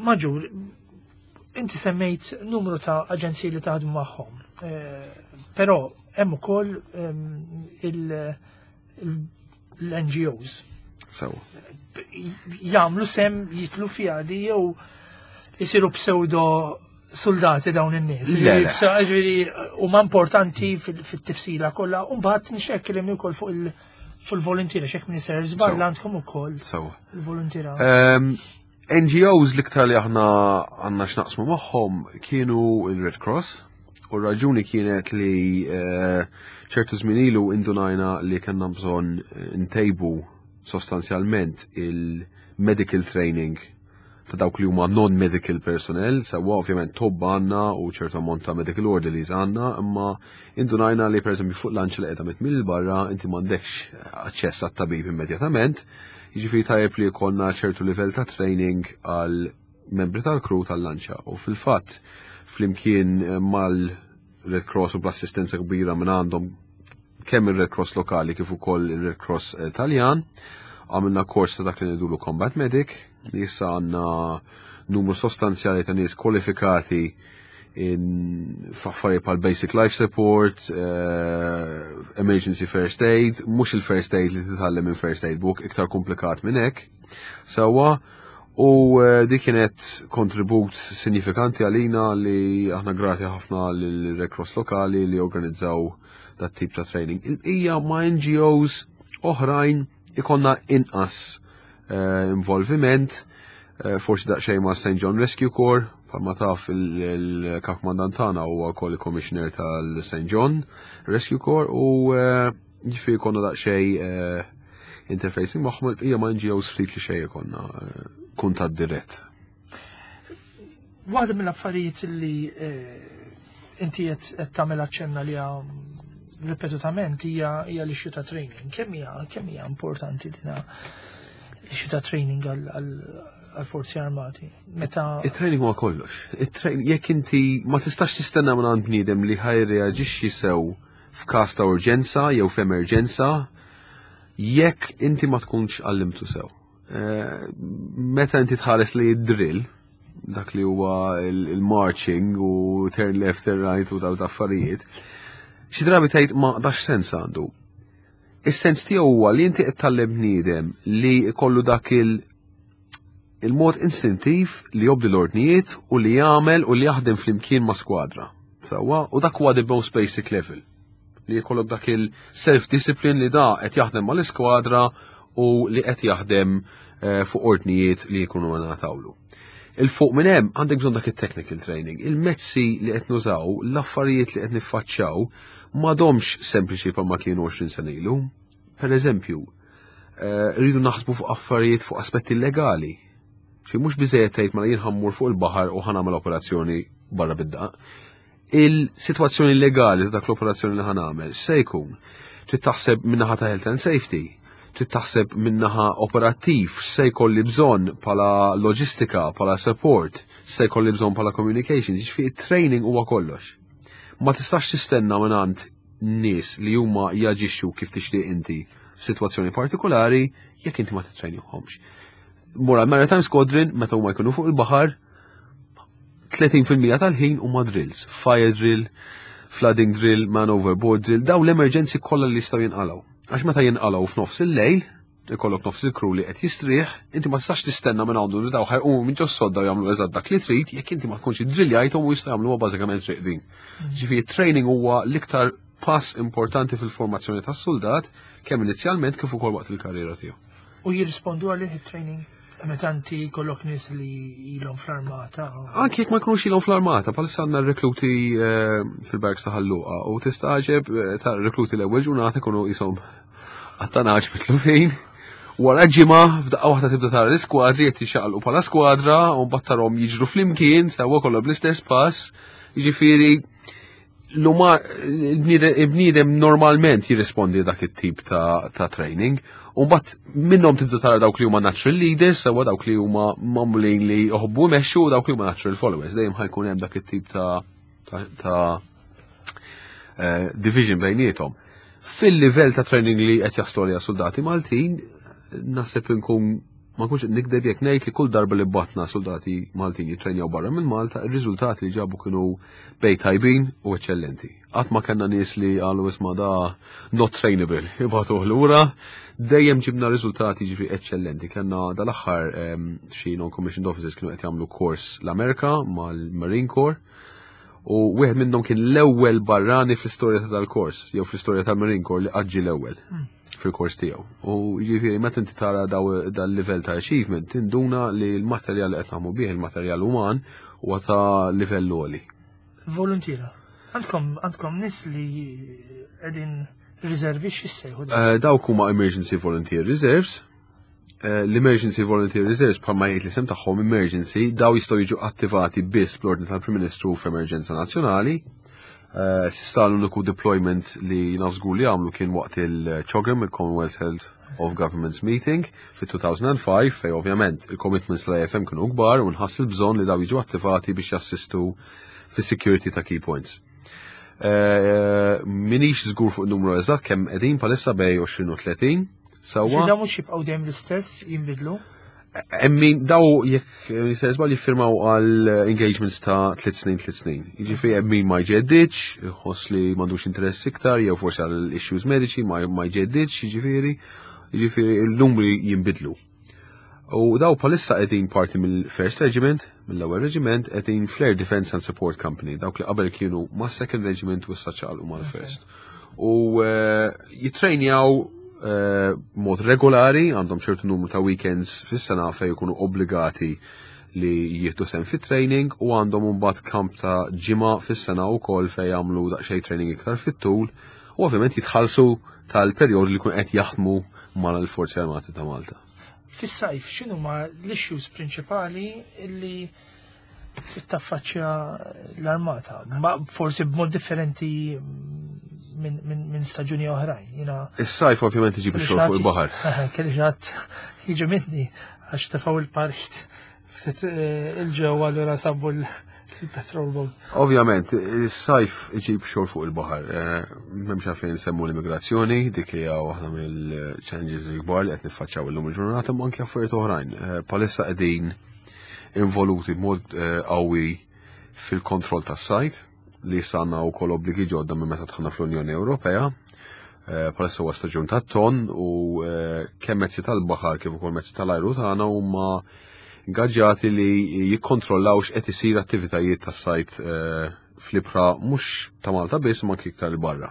Maġur, inti semmejt numru ta' aġenziji li taħdmu magħhom, però hemm ukoll l-NGOs. Sewa. Jagħmlu sem jitlu fiha di jew isiru pseudo soldati dawn in-nies. Ġifieri huma importanti fit-tifsila kollha u mbagħad nixek kellimni wkoll fuq il- fil-voluntiera xek minister żball għandkom ukoll. Il-voluntiera. NGOs l-iktar li aħna għandna x'naqsmu magħhom kienu il-Red Cross u r-raġuni kienet li ċertu żmien ilu indunajna li kellna bżonn ntejbu sostanzjalment il-medical training ta' dawk li huma non-medical personnel, sewwa ovvjament tobba għandna u ċertu ammont ta' medical orderlies għandna, imma indunajna li pereżempju fuq lanċa li qiegħda mitmil barra inti m'għandekx aċċess għat-tabib immedjatament, jiġifieri tajjeb li jkollna ċertu livell ta' training għal membri tal-crew tal-lanċa. U fil-fatt flimkien mal-Red Cross u bl-assistenza kbira minn għandhom kemm il-Red Cross lokali kif ukoll il-Red Cross Taljan, għamilna kors ta' dak li ngħidulu Combat Medic, li issa għandna numru sostanzjali ta' nies kwalifikati f'affarijiet bħal basic life support, emergency first aid, mhux il-first aid li titgħallem minn first aid book, iktar komplikat minn hekk. Sewwa, u dik kienet kontribut sinifikanti għalina li aħna grati ħafna lill-Red Cross lokali li organizzaw dat tip ta' training. Il-bqija ma' NGOs oħrajn ikonna inqas involviment, forsi daqsxejn ma' St. John Rescue Corps, bħalma taf il-kap kmandant tagħna huwa wkoll il-commissioner tal-St. John Rescue Corps u ġifieri konna daqsxejn interfacing magħhom. Il-bqija ma' NGOs ftit li xejn ikonna kuntatt dirett. Waħda mill-affarijiet li inti qed tagħmel aċċenna li ripetutament hija l-issue ta' training. Kemm hija importanti dina l-issue ta' training għal-forzi armati? Meta Il-training huwa kollox. Il-training, jekk inti ma tistax tistenna minn għand bniedem li ħa jirreaġixxi sew f'każ ta' urġenza jew f'emerġenza, jekk inti ma tkunx għallimtu sew. Meta inti tħares li drill, dak li huwa il-marching u turn left, turn right u daw affarijiet, xi drabi tgħid ma dax sens għandu. Is-sens tiegħu huwa li inti qed tgħallem bniedem li jkollu dak il-mod istintiv li jobdi l-ordnijiet u li jagħmel u li jaħdem flimkien ma' skwadra. Sewwa, u dak huwa the most basic level. Li jkollok dak il-self-discipline li da qed jaħdem mal-iskwadra u li qed jaħdem fuq ordnijiet li jkunu ngħatawlu. Il-fuq minn hemm għandek bżonn dak it-technical training. Il-mezzi li qed nużaw, l-affarijiet li qed niffaċċjaw m'għadhomx sempliċi bħalma kienu 20 sena ilu. Per eżempju, rridu naħsbu fuq affarijiet fuq aspetti legali. Xi mhux biżejjed tgħid mela jien ħammur fuq il-baħar u ħa nagħmel operazzjoni barra bid-daq. Il-sitwazzjoni legali ta' dak l-operazzjoni li ħa nagħmel se jkun trid taħseb min-naħa ta' health and safety, trid taħseb min-naħa operattiv, se jkolli bżonn bħala loġistika, bħala support, se jkolli bżonn bħala communications, jiġifieri training huwa kollox. Ma tistax tistenna minn għand nies li huma jaġixxu kif tixtieq inti f'sitwazzjoni partikolari jekk inti ma titrejnihomx. Mura Maritime Squadron meta huma jkunu fuq il-baħar 30% tal-ħin huma drills, fire drill, flooding drill, man overboard drill, daw l-emerġenzi kollha li jistgħu jinqalgħu. Għax meta jinqalgħu f'nofs il-lejl, ikollok nofs il-crew li qed jistrieħ, inti ma tistax tistenna minn għandu li daw ħa jqumu minn ġos-sodda u jagħmlu eżatt dak li trid, jekk inti ma tkunx iddrilljajthom u jistgħu jagħmluha bażikament riqdin. Ġifieri training huwa l-iktar pass importanti fil-formazzjoni tas-soldat kemm inizjalment kif ukoll waqt il-karriera tiegħu. U jirrispondu għalih it-training? Meta inti jkollok nies li ilhom fl-armata? Anki jekk ma jkunux ilhom fl-armata, bħalissa għandna rekluti fil-barracks ta' Ħal Luqa u tistagħġeb ta' rekluti l-ewwel ġurnata jkunu qishom għattanaġ mitlufin. Wara ġimgħa f'daqqa waħda tibda tara l-iskwadri qed jixaqalqu bħala skwadra u mbagħad tarahom jiġru flimkien sewwa kollha bl-istess pass. Jiġifieri il-bniedem normalment jirrispondi dak it-tip ta' training. U mbagħad minnhom tibda tara dawk li huma natural leaders, sewwa dawk li huma magħmulin li joħobbu jmexxu u dawk li huma natural followers. Dejjem ħa jkun hemm dak it-tip ta' division bejniethom. Fil-livell ta' training li qed jaslu għaliha soldati Maltin, naħseb inkun Ma nkunx qed nikdeb jekk ngħid li kull darba li bgħatna soldati Maltin jittrenjaw barra minn Malta, ir-riżultati li ġabu kienu bejn tajbin u eċċellenti. Qatt ma kellna nies li qalu isma' da not trainable, ibagħtuh lura. Dejjem ġibna riżultati ġifi eċċellenti. Kellna dal-aħħar xi non-commissioned officers kienu qed jagħmlu kors l-Amerika mal-Marine Corps u wieħed minnhom kien l-ewwel barrani fl-istorja ta' dal-kors, jew fl-istorja tal-Marine Corps li qatt ġie l-ewwel fil-kors tiegħu. U jiġifieri meta inti tara dal-livell ta' achievement, tinduna li l-materjal li qed naħmu bih, il-materjal uman, huwa ta' livell għoli. Voluntiera. Għandkom għandkom nies li qegħdin riservi x'issejħu? Dawk huma Emergency Volunteer Reserves. L-Emergency Volunteer Reserves bħalma jgħid l-isem tagħhom emergency, daw jistgħu jiġu attivati biss bl-ordni tal-Prim Ministru f'emerġenza nazzjonali. S'issa l-uniku deployment li naf żgur li għamlu kien waqt il-CHOGM, il-Commonwealth Health of Governments Meeting, fit-2005, fej ovvjament il-commitments tal-AFM kienu kbar u nħass il-bżonn li daw jiġu attivati biex jassistu fis-security ta' key points. Minix żgur fuq numru eżatt kemm qegħdin bħalissa bejn 20 u 30. Sewwa. Daw mhux jibqgħu dejjem l-istess jinbidlu? Emmin, daw jekk jisir żball jiffirmaw għal engagements ta' 3 snin 3 snin. Jiġifieri hemm min ma jġeddidx, iħoss li m'għandux interess iktar, jew forsi għal issues mediċi ma jġeddidx, jiġifieri, jiġifieri l-numri jinbidlu. U daw bħalissa qegħdin parti mill-First Regiment, mill-ewwel Regiment, qegħdin fl-Air Defense and Support Company, dawk li qabel kienu ma' Second Regiment u issa ċaqalqu mal-First. U jitrejnjaw mod regolari, għandhom ċertu numru ta' weekends fis-sena fejn jkunu obbligati li jieħdu sehem fit-training u għandhom imbagħad kamp ta' ġimgħa fis-sena wkoll fejn jagħmlu daqsxejn training iktar fit-tul u ovvjament jitħallsu tal-perjodu li jkun qed jaħdmu mal-Forzi Armati ta' Malta. Fis-sajf, x'inhuma l-issues prinċipali li taffaċċja l-armata? Ma forsi b'mod differenti minn staġuni oħrajn. Jina Is-sajf ovvjament iġib ix-xogħol fuq il-baħar. Kelli ħadd jiġi minni għax tefgħu il-parit ftit il-ġewwa allura sabu l-petrol boat. Ovvjament, is-sajf iġib xogħol fuq il-baħar. M'hemmx għalfejn nsemmu l-immigrazzjoni, dik hija waħda mill-challenges il-kbar li qed niffaċċjaw illum il-ġurnata, ma anke affarijiet oħrajn. Bħalissa qegħdin involuti b'mod qawwi fil-kontroll tas-sajd li issa għandna wkoll obbligi ġodda minn meta dħalna fl-Unjoni Ewropea. Bħalissa huwa staġun tat-ton u kemm mezzi tal-baħar kif ukoll mezzi tal-ajru tagħna huma ingaġġati li jikkontrollaw x'qed isir attivitajiet tas-sajd fl-ibħra mhux ta' Malta biss imma anki iktar 'il barra.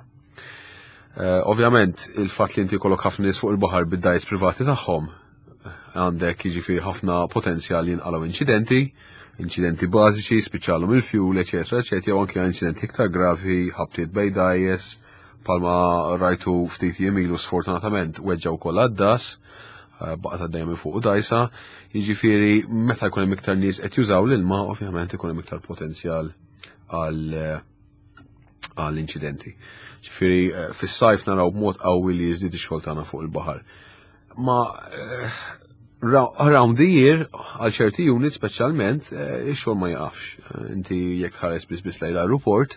Ovvjament il-fatt li inti jkollok ħafna nies fuq il-baħar bid-dgħajjes privati tagħhom għandek jiġifieri ħafna potenzjal li jinqalgħu inċidenti, inċidenti bażiċi, spiċċalhom il-fuel, eċetera, eċetera, jew anke inċidenti iktar gravi, ħabtiet bejn dgħajjes, palma rajtu ftit jiem ilu sfortunatament weġġa' wkoll għaddas, baqgħet għaddejja minn fuq dgħajsa, jiġifieri meta jkun hemm iktar nies qed jużaw l-ilma, ovvjament ikun hemm iktar potenzjal għal inċidenti. Ġifieri fis-sajf naraw b'mod qawwi li jiżdied ix-xogħol tagħna fuq il-baħar. Ma around the year, għal ċerti units speċjalment, ix-xogħol ma jaqafx. Inti jekk ħares biss biss lejn l-aeroport,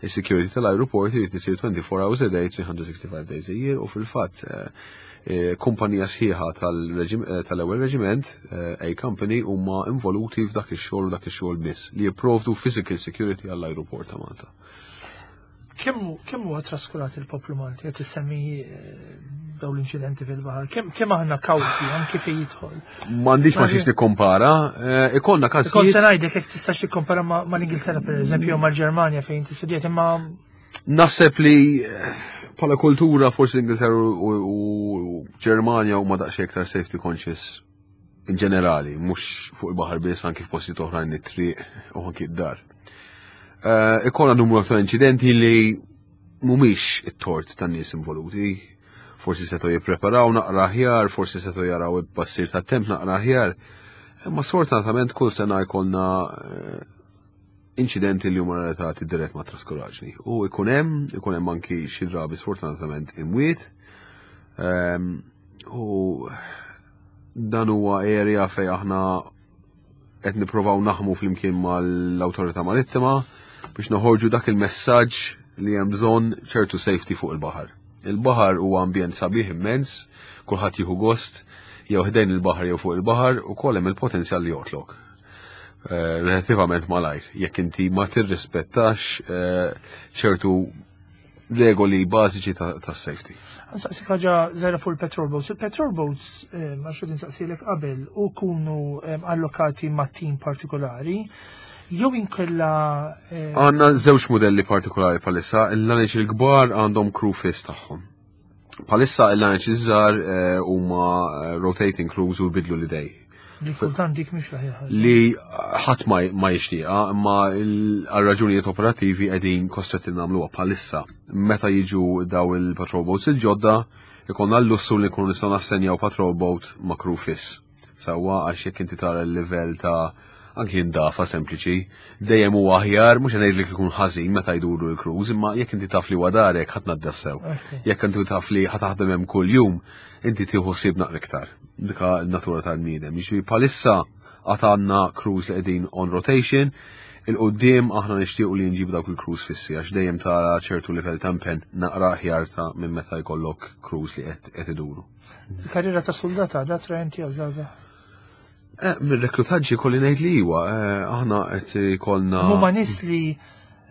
is-security tal-aeroport irid isir 24 hours a day, 365 days a year, u fil-fatt kumpanija sħiħa tal-ewwel reġiment, A Company, huma involuti f'dak ix-xogħol u dak ix-xogħol biss li jipprovdu physical security għall-aeroport ta' Malta. Kemm huwa traskurat il-poplu Malti qed issemmi dawn l-inċidenti fil-baħar? Kemm aħna kawti anki fejn jidħol? M'għandix ma xiex nikkompara, ikollna każijiet. Kont se ngħidlek jekk tistax tikkompara mal-Ingilterra pereżempju jew mal-Ġermanja fejn inti studjat imma Naħseb li bħala kultura forsi l-Ingilterra u Ġermanja huma daqsxejn iktar safety conscious in ġenerali, mhux fuq il-baħar biss anki f'postijiet oħrajn it-triq u anki d-dar. Ikollna numru ta' inċidenti li mhumiex it-tort tan-nies involuti. Forsi setgħu jippreparaw naqra aħjar, forsi setgħu jaraw il-passir tat-temp naqra aħjar. Imma sfortunatament kull sena jkollna inċidenti li huma relatati dirett ma' traskuraġni. U ikun hemm anki xi drabi sfortunatament imwiet. U dan huwa area fej aħna qed nippruvaw naħmu flimkien mal-Awtorità Marittima biex noħorġu dak il-messaġġ li hemm bżonn ċertu safety fuq il-baħar. Il-baħar huwa ambjent sabiħ immens, kulħadd jieħu gost, jew ħdejn il-baħar jew fuq il-baħar ukoll hemm il-potenzjal li joqtlok. Relativament malajr, jekk inti ma tirrispettax ċertu regoli bażiċi ta' safety. Nsaqsik ħaġa żgħira fuq il-petrol boats. Il-petrol boats, ma xed insaqsilek qabel, u kunu allokati ma' tim partikolari, jew inkella. Għandna żewġ modelli partikolari palissa, il-laneċ il-kbar għandhom crew fiss tagħhom. Palissa il-laneċ iż-żgħar huma rotating crews u jbidlu l-idej. Li kultant dik mhix l-aħjar ħaġa. Li ħadd ma jixtieqha, imma għal raġunijiet operattivi qegħdin kostretti nagħmluha bħalissa. Meta jiġu daw il-patrol boats il-ġodda, ikollna l-lussu li nkunu nistgħu nassenjaw patrol boat ma' crew fiss. Sewwa, għax jekk inti tara l-livell ta' anki indafa sempliċi, dejjem huwa aħjar, mhux ngħidlek ikun ħażin meta jduru l-crews, imma jekk inti taf li huwa darek ħadd naddef sew. Jekk inti taf li ħa taħdem hemm kuljum, inti tieħu ħsieb naqra iktar. Dika n-natura tal-bniedem. Jiġifieri bħalissa għad għandna crews li qegħdin on rotation, il-qudiem aħna nixtiequ li nġibu dawk il-crews fissi għax dejjem tara ċertu livell ta' impenn naqra aħjar ta' minn meta jkollok crews li qed iduru. Il-karriera ta' soldat għadha attraenti għaż-żgħażagħ? Mir-reklutaġġi kolli ngħid li iwa, aħna qed ikollna. Huma nies li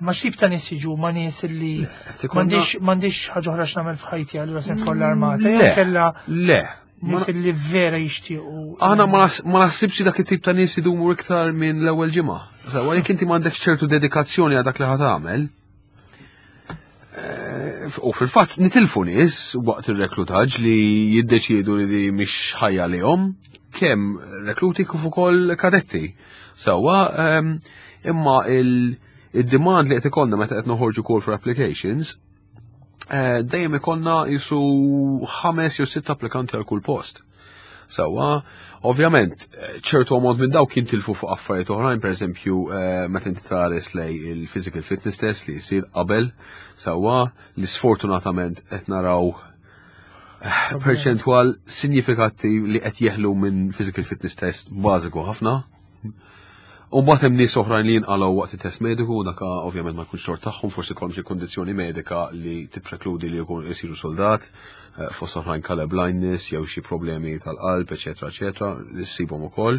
ma xib ta' nies jiġu, ma nies li m'għandix ħaġa oħra x'nagħmel f'ħajti allura se nidħol l-armata, jew Le, kella le. nies li vera jixtiequ. Aħna ma naħsibx dak it-tip ta' nies idumu iktar minn l-ewwel ġimgħa. Sewwa, jekk inti m'għandekx ċertu dedikazzjoni għal dak li ħa tagħmel, u fil-fatt nitilfu nies waqt ir-reklutaġġ li jiddeċiedu li di mhix ħajja lihom, kemm rekluti kif ukoll kadetti. Sewwa, imma il-demand li qed ikollna meta qed noħorġu call for applications, dejjem ikollna jisu 5 jew 6 applikanti għal kull post. Sewwa, ovvjament, ċertu ammont minn dawk jintilfu fuq affarijiet oħrajn, per eżempju, meta inti tħares lej il-physical fitness test li jsir qabel, sewwa, li sfortunatament qed naraw perċentwal sinjifikattiv li qed jeħlu minn physical fitness test bażiku ħafna. U mbagħad hemm nies oħrajn li jinqalgħu waqt it-test mediku, dak ovvjament ma jkunx tort tagħhom, forsi jkollhom xi kundizzjoni medika li tipprekludi li jkun isiru soldat, fost oħrajn color blindness jew xi problemi tal-qalb, eċetera, eċetera, li ssibhom ukoll.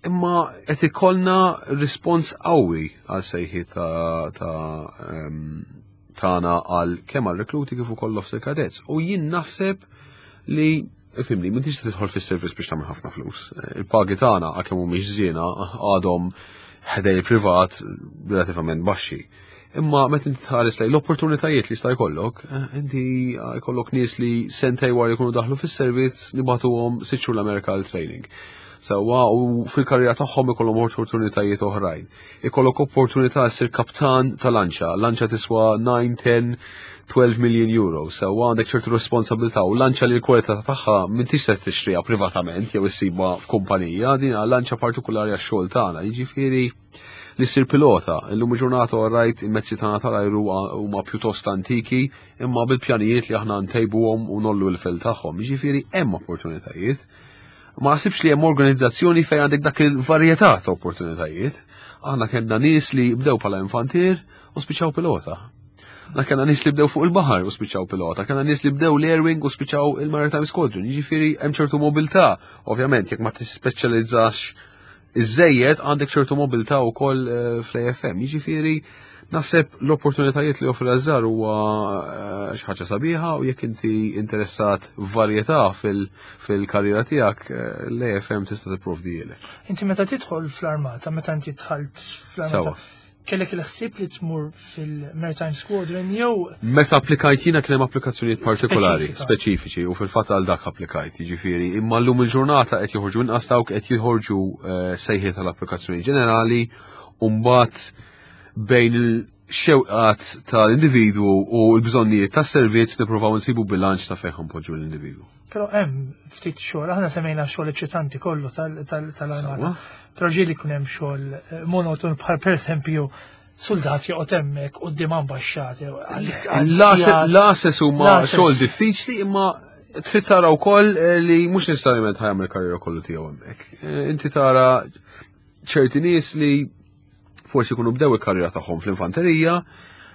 Imma qed ikollna rispons qawwi għal sejħi tagħna għal kemm għal rekluti kif ukoll officer cadets. U jien naħseb li ifhimni, m'intix tidħol fis-servizz biex tagħmel ħafna flus. Il-pagi tagħna għalkemm mhumiex żiena għadhom ħdej privat relativament baxxi. Imma meta inti tħares lejn l-opportunitajiet li jista' jkollok, inti jkollok nies li sentej wara jkunu daħlu fis-servizz nibagħtuhom 6 xhur l-Amerika għal training. Sewwa, u fil-karriera tagħhom ikollhom opportunitajiet oħrajn. Ikollok opportunità ssir kaptan ta' lanċa. Lanċa tiswa 9, 10, 12 million euro. Sewwa, għandek ċertu responsabilità u lanċa li l-kwalità tagħha m'intix se tixtriha privatament jew issibha f'kumpanija, din hija lanċa partikolari għax-xogħol tagħna. Jiġifieri li ssir pilota. Illum il-ġurnata rajt il-mezzi tagħna tal-ajru huma pjuttost antiki, imma bil-pjanijiet li aħna ntejbuhom u nollu l-fil tagħhom. Jiġifieri hemm opportunitajiet. Ma naħsibx li hemm organizzazzjoni fejn għandek dak il-varjetà ta' opportunitajiet. Aħna kellna nies li bdew bħala infantier u spiċċaw pilota. Aħna kellna nies li bdew fuq il-baħar u spiċċaw pilota. Kellna nies li bdew l-Air Wing u spiċċaw il-Maritime Squadron. Jiġifieri hemm ċertu mobilità. Ovvjament, jekk ma tispeċjalizzax iżejjed għandek ċertu mobilità wkoll fl-AFM. Jiġifieri naħseb l-opportunitajiet li joffri l-azzar huwa xi ħaġa sabiħa u jekk inti interessat f'varjetà fil-karriera tiegħek, l-AFM tista' tipprovdielek. Inti meta tidħol fl-armata, meta inti dħalt fl-armata, kellek il-ħsieb li tmur fil-Maritime Squadron jew Meta applikajt jiena kien hemm applikazzjonijiet partikolari, Speċifika. speċifiċi, u fil-fatt għal dak applikajt, jiġifieri, imma llum il-ġurnata qed joħorġu inqas dawk qed joħorġu sejħiet tal-applikazzjoni ġenerali, u mbagħad bejn il-xewqat tal-individwu u l-bżonnijiet tas-servizz nippruvaw nsibu bilanċ ta' fejn ħanpoġġu l-individwu. Però hemm ftit xogħol, aħna semmejna xogħol eċċitanti kollu tal-armata. Sewwa. Però ġieli jkun hemm xogħol monoton bħal pereżempju soldat joqgħod hemmhekk quddiem ambaxxat jew għal sigħat. L-ases huma L-ases. xogħol diffiċli, imma trid tara wkoll li mhux necessarjament ħajamel karriera kollu tiegħu hemmhekk. Inti tara ċerti nies li forsi jkunu bdew il-karriera tagħhom fl-infanterija,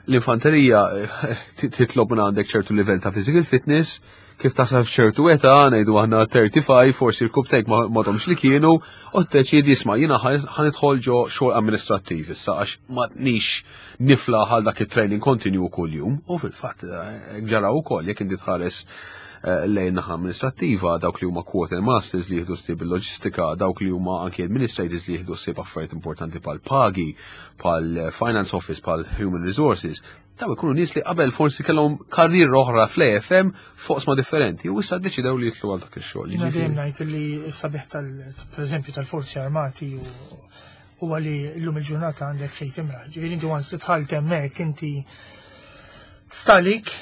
l-infanterija titlob minn għandek ċertu livell ta' physical fitness, kif tasal f'ċertu età, ngħidu aħna 35, forsi l-kubtejk ma domx li kienu, u t-teċidi isma' jiena ħanidħol ġo xogħol amministrattiv issa għax ma nix nifla għal dak it-training kontinju kuljum, u fil-fatt eh, ġara wkoll jekk inti tħares eh, lejn naħa amministrattiva, dawk li huma quarter masters li jieħdu ssieb il-loġistika, dawk li huma anki administrators li jieħdu ssieb affarijiet importanti pal pagi, pal finance office, pal human resources, Daw ikunu nies li qabel forsi kellhom karriera oħra fl-AFM fuq sma differenti u issa ddeċidew li jitlu għal dak ix-xogħol. Jiena dejjem ngħid li s-sabiħ tal pereżempju tal-forzi armati huwa li llum il-ġurnata għandek fejn timraħ. Ġifieri inti once li dħalt hemmhekk inti stalik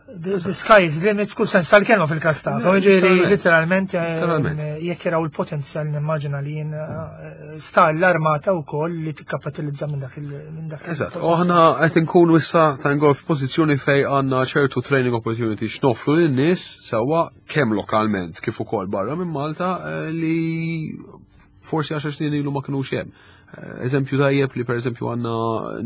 the sky is limit kull sens tal-kelma fil-kas ta' Ġifieri literalment eh, jekk jaraw il-potenzjal nimmaġina li jien eh, sta l-armata wkoll li tikkapitalizza minn dak minn dak. Eżatt, u aħna qed inkunu issa ta' ngol f'pożizzjoni fej għandna ċertu training opportunities x'nofru lin-nies sewwa kemm lokalment kif ukoll barra minn Malta eh, li forsi għaxar snin ilu ma kinux hemm. Eh, eżempju tajjeb li pereżempju għandna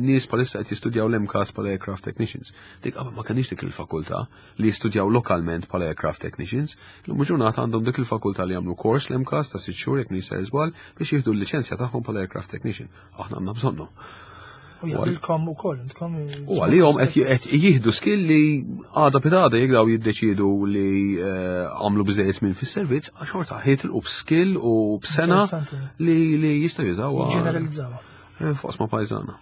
nies bħalissa qed jistudjaw l-MCAS bħala aircraft technicians. Dik qabel ma kenniex dik il-fakultà li jistudjaw lokalment bħala aircraft technicians. Illum ġurnata għandhom dik il-fakultà li jagħmlu kors l-MCAS ta' sitt xhur jekk m'iniex żball biex jieħdu l-liċenzja tagħhom bħala aircraft technician. Aħna għandna bżonnhom. U jaqbilkom ukoll intkom. U għalihom qed jieħdu skill li għada pitada jekk daw jiddeċiedu li eh, għamlu biżejjed minn fis-servizz, għax xorta ħitilqu b'skill u b'sena li li jistgħu jużawha. Ġeneralizzawha. Eh, fuq ma pajżana.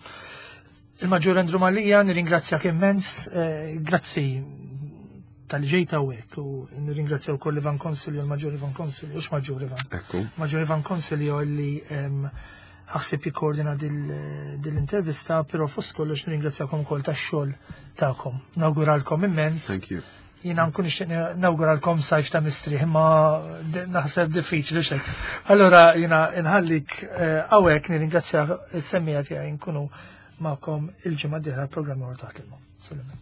Il-Maġġur Andrew Malija, nirringrazzjak immens, eh, grazzi tal-ġejta u hekk u nirringrazzja wkoll Ivan Consilio, il-Maġġur Ivan Consilio, ux Maġġur Ivan. Ekku. Maġġur Ivan Consilio li ħassib jikkoordina dil-intervista, però fost kollox nirringrazzjakom ukoll tax-xogħol tagħkom. Nawguralkom immens. Thank you. Jiena nkun nixtieq nawguralkom sajf ta' mistrieħ, imma naħseb diffiċli xejn. Allura jiena nħallik eh, hawnhekk nirringrazzja s-semmija tiegħi nkunu magħkom il-ġimgħa d-dieħla programm taħt il-ma. Salam.